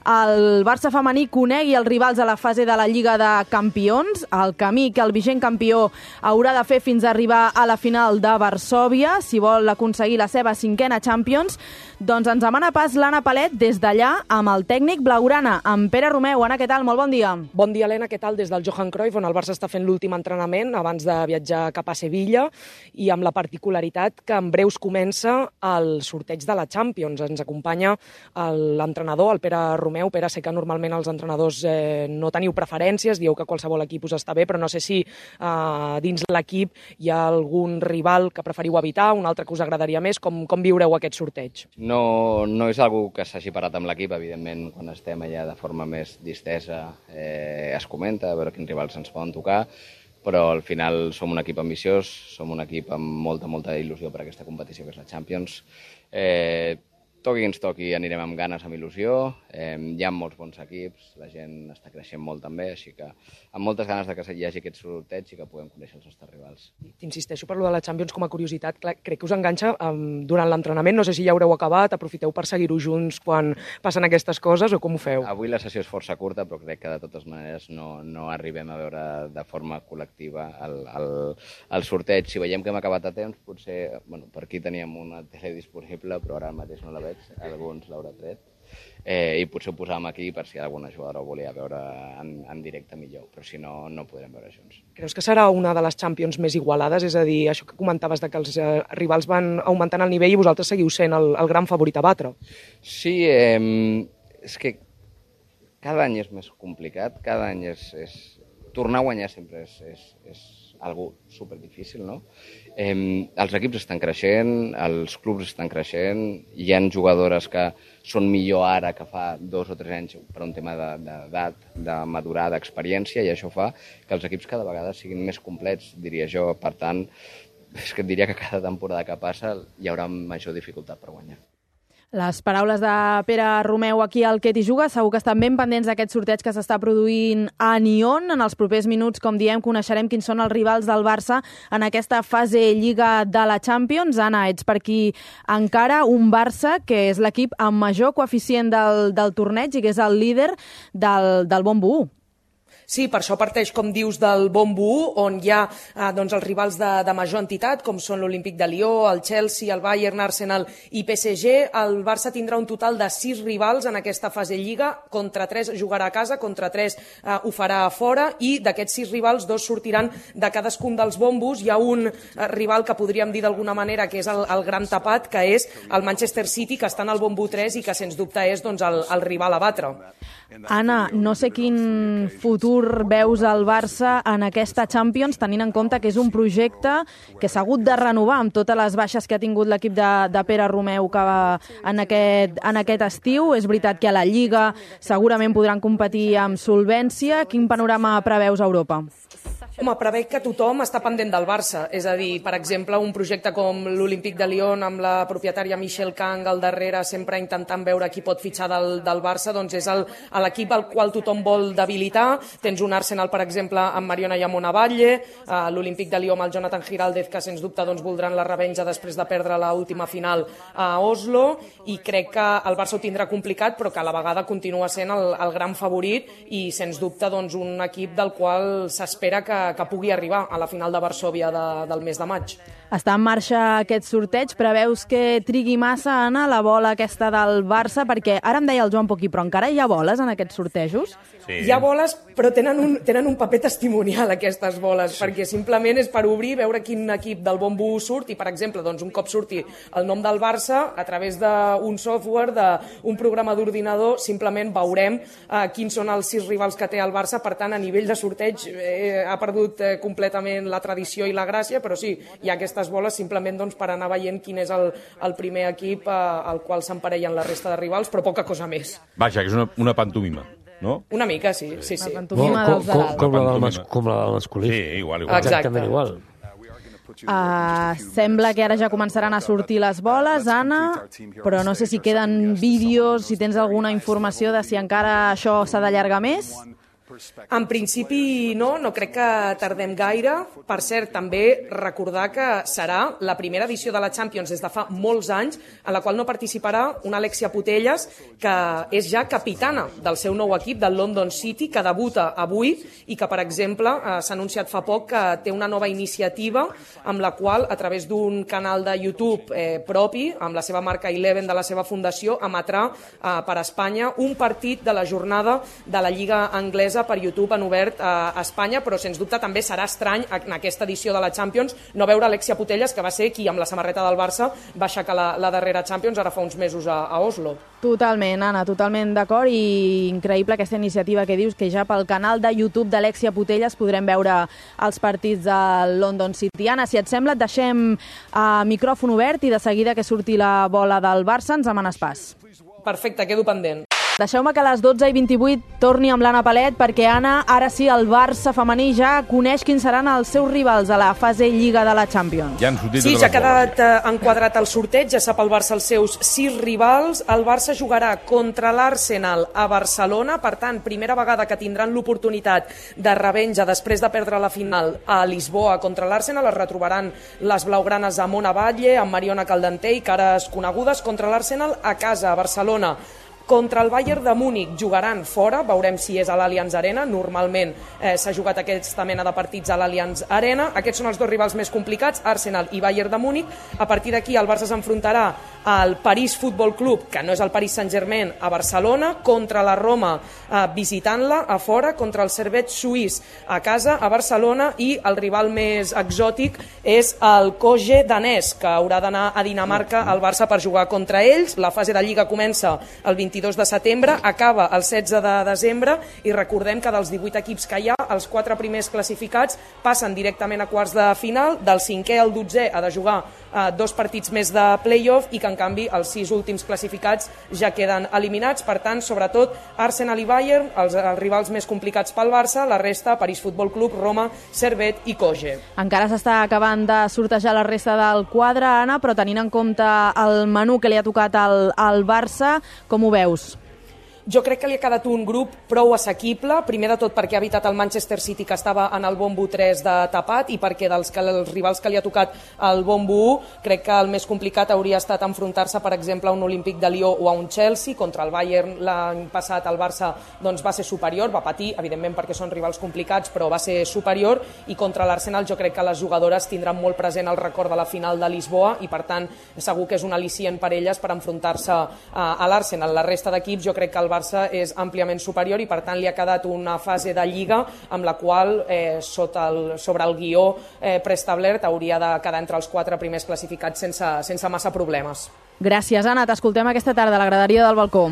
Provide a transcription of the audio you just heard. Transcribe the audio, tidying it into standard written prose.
el Barça femení conegui els rivals a la fase de la Lliga de Campions, el camí que el vigent campió haurà de fer fins a arribar a la final de Varsòvia, si vol aconseguir la seva 5a Champions. Doncs ens demana pas l'Anna Palet des d'allà amb el tècnic blaugrana, amb Pere Romeu. Anna, què tal? Molt bon dia. Bon dia, Helena. Què tal? Des del Johan Cruyff, on el Barça està fent l'últim entrenament abans de viatjar cap a Sevilla, i amb la particularitat que en breus comença el sorteig de la Champions. Ens acompanya l'entrenador, el Pere Romeu. Pere, sé que normalment els entrenadors no teniu preferències, dieu que qualsevol equip us està bé, però no sé si dins l'equip hi ha algun rival que preferiu evitar, un altre que us agradaria més. Com viureu aquest sorteig? No és algo que s'hagi parat amb l'equip, evidentment, quan estem allà de forma més distesa es comenta, a veure quins rivals ens poden tocar, però al final som un equip ambiciós, som un equip amb molta il·lusió per aquesta competició que és la Champions. Toqui qui ens toqui, anirem amb ganes, amb il·lusió. Hi ha molts bons equips, la gent està creixent molt també, així que amb moltes ganes de que hi hagi aquest sorteig i que puguem conèixer els nostres rivals. T'insisteixo per lo de la Champions com a curiositat. Crec que us enganxa durant l'entrenament, no sé si ja haureu acabat, aprofiteu per seguir-ho junts quan passen aquestes coses o com ho feu? Avui la sessió és força curta, però crec que de totes maneres no arribem a veure de forma col·lectiva el sorteig. Si veiem que hem acabat a temps, potser, per aquí teníem una tele disponible, però ara mateix no la veig, alguns l'haurà tret, i potser ho posàvem aquí per si alguna jugadora ho volia veure en directe millor, però si no, no podrem veure junts. Creus que serà una de les Champions més igualades? És a dir, això que comentaves de que els rivals van augmentant el nivell i vosaltres seguiu sent el gran favorit a batre. Sí, és que cada any és més complicat, cada any tornar a guanyar sempre és algo superdifícil, no? Els equips estan creixent, els clubs estan creixent, hi ha jugadores que són millor ara que fa 2 o 3 anys per un tema d'edat, de madurar, d'experiència, i això fa que els equips cada vegada siguin més complets, diria jo. Per tant, és que et diria que cada temporada que passa hi haurà major dificultat per guanyar. Les paraules de Pere Romeu aquí al Que t'hi juga. Segur que estan ben pendents d'aquest sorteig que s'està produint a Nyon. En els propers minuts, com diem, coneixerem quins són els rivals del Barça en aquesta fase Lliga de la Champions. Anna, ets per aquí encara un Barça que és l'equip amb major coeficient del torneig i que és el líder del Bombo 1. Sí, per això parteix, com dius, del Bombo 1, on hi ha els rivals de major entitat, com són l'Olímpic de Lió, el Chelsea, el Bayern, Arsenal i PSG. El Barça tindrà un total de 6 rivals en aquesta fase Lliga, contra 3 jugarà a casa, contra 3 ho farà a fora, i d'aquests 6 rivals, 2 sortiran de cadascun dels bombos. Hi ha un rival que podríem dir d'alguna manera que és el gran tapat, que és el Manchester City, que està en el Bombo 3 i que, sens dubte, és el rival a batre. Anna, no sé quin futur veus al Barça en aquesta Champions, tenint en compte que és un projecte que s'ha hagut de renovar amb totes les baixes que ha tingut l'equip de Pere Romeu en aquest estiu. És veritat que a la Lliga segurament podran competir amb solvència. Quin panorama preveus a Europa? Home, preveig que tothom està pendent del Barça. És a dir, per exemple, un projecte com l'Olímpic de Lyon, amb la propietària Michelle Kang al darrere, sempre intentant veure qui pot fitxar del Barça, doncs és l'equip al qual tothom vol debilitar. Tens un Arsenal, per exemple, amb Mariona Yamonavalle, l'Olímpic de Lyon amb el Jonathan Giraldez, que sens dubte voldran la revenja després de perdre l'última final a Oslo, i crec que el Barça ho tindrà complicat, però que a la vegada continua sent el gran favorit i, sens dubte, un equip del qual s'espera que pugui arribar a la final de Varsòvia del mes de maig. Està en marxa aquest sorteig. Preveus que trigui massa, Anna, la bola aquesta del Barça? Perquè ara em deia el Joan Poquí, però encara hi ha boles en aquests sortejos? Sí. Hi ha boles, però tenen un paper testimonial, aquestes boles, perquè simplement és per obrir, veure quin equip del Bombo surt, i, per exemple, un cop surti el nom del Barça, a través d'un software, d'un programa d'ordinador, simplement veurem quins són els 6 rivals que té el Barça. Per tant, a nivell de sorteig ha perdut completament la tradició i la gràcia, però sí, hi ha aquestes boles simplement per anar veient quin és el primer equip al qual s'emparellen la resta de rivals, però poca cosa més. Vaja, que és una pantomima, no? Una mica, sí. Una pantomima dels de dalt. Com la del masculí. Sí, igual. Exactament igual. Sembla que ara ja començaran a sortir les boles, Anna, però no sé si queden vídeos, si tens alguna informació de si encara això s'ha d'allargar més. En principi no crec que tardem gaire. Per cert, també recordar que serà la primera edició de la Champions des de fa molts anys en la qual no participarà una Alexia Putellas, que és ja capitana del seu nou equip, del London City, que debuta avui i que, per exemple, s'ha anunciat fa poc que té una nova iniciativa amb la qual, a través d'un canal de YouTube propi, amb la seva marca Eleven de la seva fundació, emetrà per Espanya un partit de la jornada de la Lliga Anglesa per YouTube en obert a Espanya, però sens dubte també serà estrany en aquesta edició de la Champions no veure Alexia Putellas, que va ser qui amb la samarreta del Barça va aixecar la darrera Champions ara fa uns mesos a Oslo. Totalment, Anna, totalment d'acord, i increïble aquesta iniciativa que dius, que ja pel canal de YouTube d'Alexia Putellas podrem veure els partits del London City. Anna, si et sembla, et deixem micròfon obert i de seguida que surti la bola del Barça ens demanes pas. Perfecte, quedo pendent. Deixeu-me que a les 12:28 torni amb l'Anna Palet, perquè, Anna, ara sí, el Barça femení ja coneix quins seran els seus rivals a la fase Lliga de la Champions. Ja han sortit Sí, totes ja ha les boles. quedat enquadrat el sorteig, ja sap el Barça els seus 6 rivals. El Barça jugarà contra l'Arsenal a Barcelona, per tant, primera vegada que tindran l'oportunitat de revenja després de perdre la final a Lisboa contra l'Arsenal. Es retrobaran les blaugranes a Mona Batlle, amb Mariona Caldentey, cares conegudes, contra l'Arsenal a casa, a Barcelona. Contra el Bayern de Múnich jugaran fora, veurem si és a l'Allianz Arena, normalment s'ha jugat aquesta mena de partits a l'Allianz Arena. Aquests són els dos rivals més complicats, Arsenal i Bayern de Múnich. A partir d'aquí el Barça s'enfrontarà al París Futbol Club, que no és el Paris Saint-Germain, a Barcelona, contra la Roma visitant-la a fora, contra el Servette suís a casa, a Barcelona, i el rival més exòtic és el Køge danès, que haurà d'anar a Dinamarca al Barça per jugar contra ells. La fase de Lliga comença el 22 de setembre, acaba el 16 de desembre, i recordem que dels 18 equips que hi ha, els 4 primers classificats passen directament a quarts de final, del 5è al 12è ha de jugar 2 partits més de play-off, i que en canvi els 6 últims classificats ja queden eliminats. Per tant, sobretot Arsenal i Bayern, els rivals més complicats pel Barça, la resta, París Futbol Club, Roma, Servette i Køge. Encara s'està acabant de sortejar la resta del quadre, Anna, però tenint en compte el menú que li ha tocat al Barça, com ho veus? Jo crec que li ha quedat un grup prou assequible, primer de tot perquè ha evitat el Manchester City, que estava en el bombo 3 de tapat, i perquè els rivals que li ha tocat el bombo 1, crec que el més complicat hauria estat enfrontar-se, per exemple, a un Olímpic de Lió o a un Chelsea. Contra el Bayern l'any passat el Barça va ser superior, va patir, evidentment perquè són rivals complicats, però va ser superior, i contra l'Arsenal jo crec que les jugadores tindran molt present el record de la final de Lisboa, i per tant segur que és un al·licient per elles per enfrontar-se a l'Arsenal. La resta d'equips jo crec que el Barça és àmpliament superior, i per tant li ha quedat una fase de Lliga amb la qual sobre el guió preestablert hauria de quedar entre els 4 primers classificats sense massa problemes. Gràcies, Anna. T'escoltem aquesta tarda a la graderia del balcó.